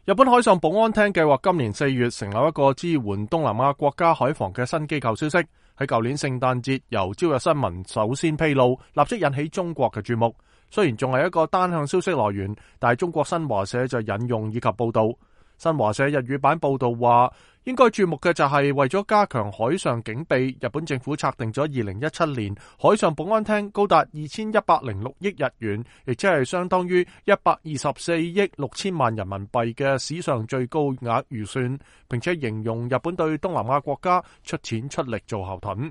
日本海上保安廳計劃今年4月成立一個支援東南亞國家海防嘅新機構消息，喺舊年聖誕節由朝日新聞首先披露，立即引起中國嘅注目。雖然仲係一個單向消息來源，但係中國新華社就引用以及報道。新華社日語版報道話，應該注目嘅就係為咗加強海上警備，日本政府策定咗2017年海上保安廳高達2106億日元，亦即係相當於124億6千萬人民幣嘅史上最高額預算，並且形容日本對東南亞國家出錢出力做後盾。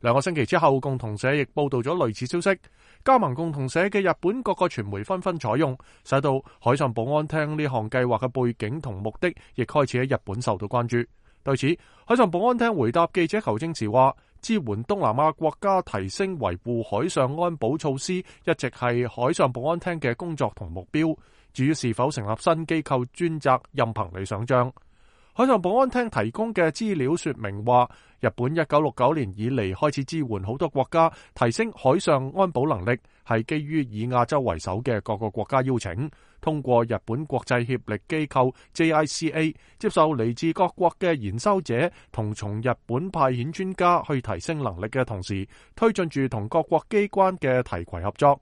2個星期之後，共同社亦報道咗類似消息。加盟共同社嘅日本各個傳媒紛紛採用，使到海上保安廳呢項計劃嘅背景同目的，亦開始喺日本受到關注。對此，海上保安廳回答記者求證時話，支援東南亞國家提升維護海上安保措施，一直係海上保安廳嘅工作同目標。至於是否成立新機構專責，任憑你想象。海上保安廳提供嘅資料說明話，日本1969年以嚟開始支援好多國家提升海上安保能力，係基於以亞洲為首嘅各個國家邀請，通過日本國際協力機構 JICA 接受嚟自各國嘅研修者同從日本派遣專家去提升能力嘅同時，推進住同各國機關嘅提攜合作。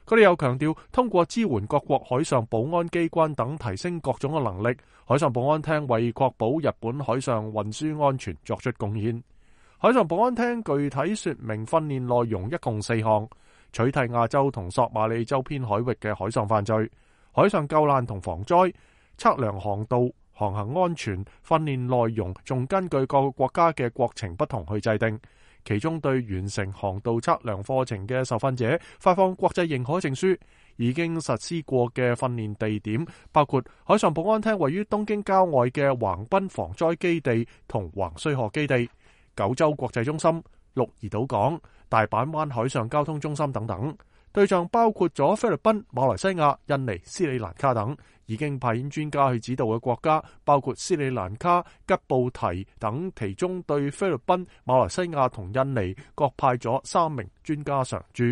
佢哋又強調，通過支援各國海上保安機關等提升各種嘅能力，海上保安廳為確保日本海上運輸安全作出貢獻。海上保安廳具體說明訓練內容一共4項：取締亞洲同索馬里周邊海域嘅海上犯罪、海上救難同防災、測量航道、航行安全。訓練內容仲根據各個國家嘅國情不同去制定。其中對完成航道測量課程嘅受訓者發放國際認可證書。已經實施過嘅訓練地點包括海上保安廳位於東京郊外嘅橫濱防災基地同橫須賀基地、九州國際中心、鹿兒島港、大阪灣海上交通中心等等。對象包括咗菲律賓、馬來西亞、印尼、斯里蘭卡等。已經派遣專家去指導嘅國家包括斯里蘭卡、吉布提等，其中對菲律賓、馬來西亞同印尼各派咗3名專家常駐。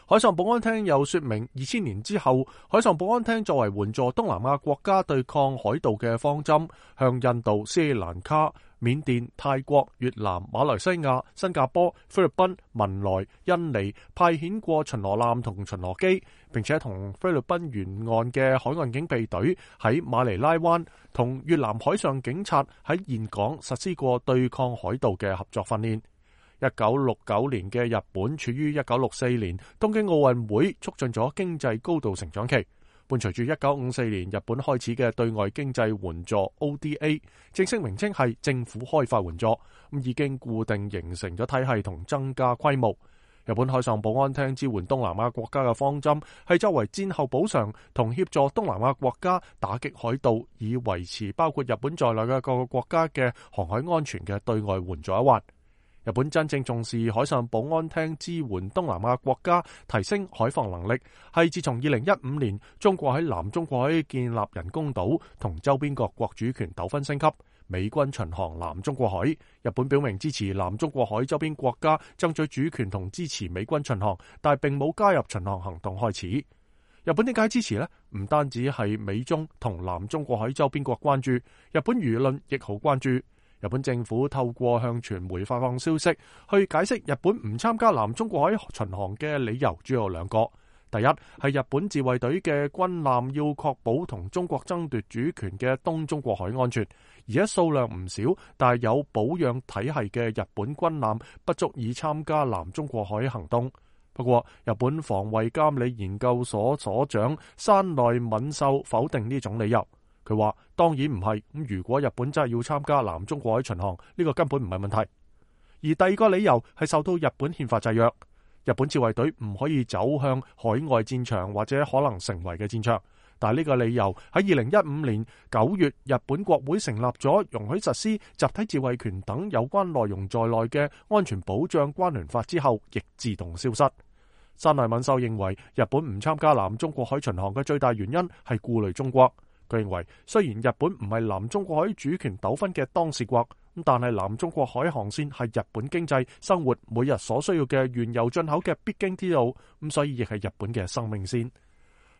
海上保安廳又說明，2000年之後，海上保安廳作為援助東南亞國家對抗海盜嘅方針，向印度、斯里蘭卡、緬甸、泰國、越南、馬來西亞、新加坡、菲律賓、文萊、印尼派遣過巡邏艦同巡邏機，並且同菲律賓沿岸嘅海岸警備隊喺馬尼拉灣同越南海上警察喺峴港實施過對抗海盜嘅合作訓練。1969年嘅日本處於1964年東京奧運會促進咗經濟高度成長期，伴隨住1954年日本開始嘅對外經濟援助 ODA， 正式名稱係政府開發援助，已經固定形成咗體系同增加規模。日本海上保安廳支援東南亞國家嘅方針係作為戰後補償同協助東南亞國家打擊海盜，以維持包括日本在內嘅各個國家嘅航海安全嘅對外援助一環。日本真正重視海上保安廳支援東南亞國家提升海防能力，係自從2015年中國喺南中國海建立人工島同周邊各國主權糾紛升級，美軍巡航南中國海，日本表明支持南中國海周邊國家爭取主權同支持美軍巡航，但並冇加入巡航行動開始。日本點解支持呢？唔單止係美中同南中國海周邊國關注，日本輿論亦好關注。日本政府透過向傳媒發放消息，去解釋日本唔參加南中國海巡航嘅理由主要有2個。第一係日本自衛隊嘅軍艦要確保同中國爭奪主權嘅東中國海安全，而且數量唔少，但係有保養體系嘅日本軍艦不足以參加南中國海行動。不過，日本防衛監理研究所所長山內敏秀否定呢種理由。佢話當然唔係，如果日本真係要參加南中國海巡航，呢個根本唔係問題。而第2個理由係受到日本憲法制約，日本自衛隊唔可以走向海外戰場或者可能成為嘅戰場。但係呢個理由喺2015年9月日本國會成立咗容許實施集體自衛權等有關內容在內嘅安全保障關聯法之後，亦自動消失。山內敏秀認為日本唔參加南中國海巡航嘅最大原因係顧慮中國。佢認為，雖然日本唔係南中國海主權糾紛嘅當事國，但係南中國海航線係日本經濟生活每日所需要嘅原油進口嘅必經之路，所以亦係日本嘅生命線。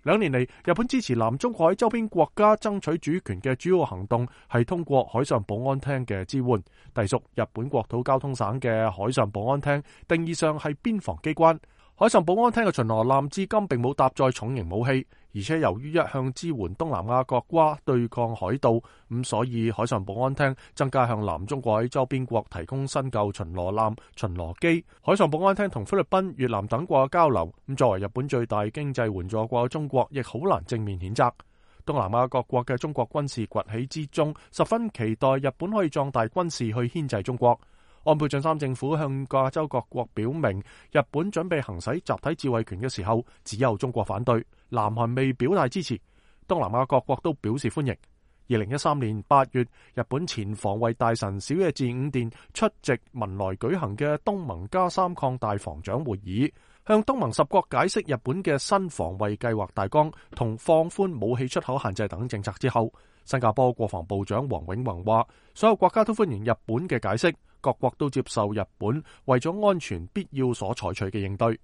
2年嚟，日本支持南中國海周邊國家爭取主權嘅主要行動係通過海上保安廳嘅支援。隸屬日本國土交通省嘅海上保安廳，定義上係邊防機關。海上保安廳嘅巡邏艦至今並冇搭載重型武器，而且由於一向支援東南亞國家對抗海盜，所以海上保安廳增加向南中國海周邊國提供新舊巡邏艦、巡邏機。海上保安廳同菲律賓、越南等國嘅交流，作為日本最大經濟援助國嘅中國，亦好難正面譴責。東南亞各國嘅中國軍事崛起之中，十分期待日本可以壯大軍事去牽制中國。安倍晉三政府向亞洲各國表明，日本準備行使集體自衛權嘅時候，只有中國反對，南韓未表態支持，東南亞各國都表示歡迎。2013年8月，日本前防衛大臣小野寺五殿出席文萊舉行嘅東盟+3擴大防長會議，向東盟10國解釋日本嘅新防衛計劃大綱同放寬武器出口限制等政策之後，新加坡國防部長黃永宏話，所有國家都歡迎日本嘅解釋，各國都接受日本為咗安全必要所採取嘅應對。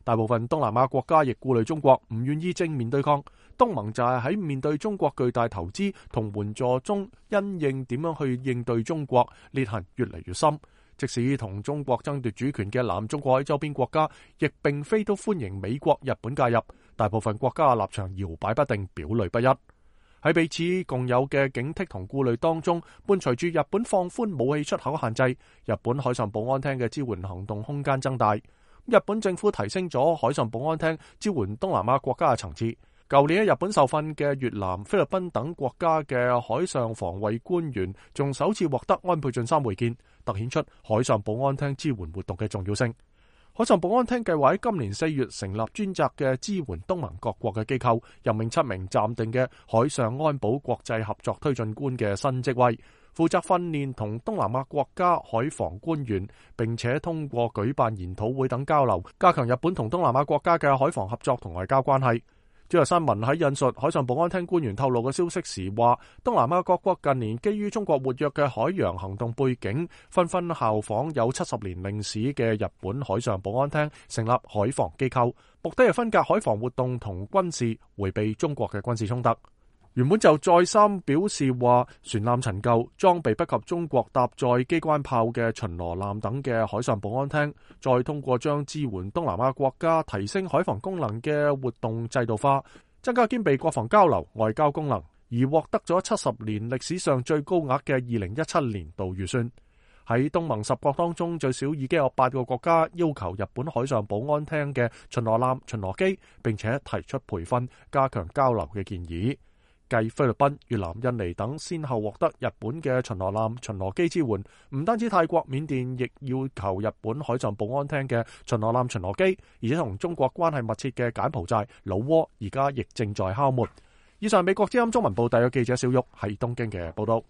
大部分東南亞國家亦顧慮中國唔願意正面對抗，東盟就係喺面對中國巨大投資同援助中，因應點樣去應對中國，裂痕越嚟越深。即使同中國爭奪主權嘅南中國海周邊國家，亦並非都歡迎美國、日本介入，大部分國家嘅立場搖擺不定，表裏不一。喺彼此共有嘅警惕同顧慮當中，伴隨住日本放寬武器出口限制，日本海上保安廳嘅支援行動空間增大。日本政府提升咗海上保安廳支援東南亞國家嘅層次。舊年喺日本受訓嘅越南、菲律賓等國家嘅海上防衛官員，仲首次獲得安倍晉三會見，凸顯出海上保安廳支援活動嘅重要性。海上保安廳計劃喺今年4月成立專責嘅支援東盟各國嘅機構，任命7名暫定嘅海上安保國際合作推進官嘅新職位，負責訓練同東南亞國家海防官員，並且通過舉辦研討會等交流，加強日本同東南亞國家嘅海防合作同外交關係。朝日新聞喺引述海上保安廳官員透露嘅消息時話，東南亞各國近年基於中國活躍嘅海洋行動背景，紛紛效仿有70年歷史嘅日本海上保安廳，成立海防機構，目的係分隔海防活動同軍事，迴避中國嘅軍事衝突。原本就再三表示話，船艦陳舊、裝備不及中國搭載機關炮嘅巡邏艦等嘅海上保安廳，再通過將支援東南亞國家提升海防功能嘅活動制度化，增加兼備國防交流、外交功能，而獲得咗70年歷史上最高額嘅2017年度預算。喺東盟10國當中，最少已經有8個國家要求日本海上保安廳嘅巡邏艦、巡邏機，並且提出培訓、加強交流嘅建議。繼菲律賓、越南、印尼等先後獲得日本嘅巡邏艦、巡邏機支援，唔單止泰國、緬甸亦要求日本海上保安廳嘅巡邏艦、巡邏機，而且同中國關係密切嘅柬埔寨、老撾而家亦正在敲門。以上美國之音中文部特約記者小玉喺東京嘅報道。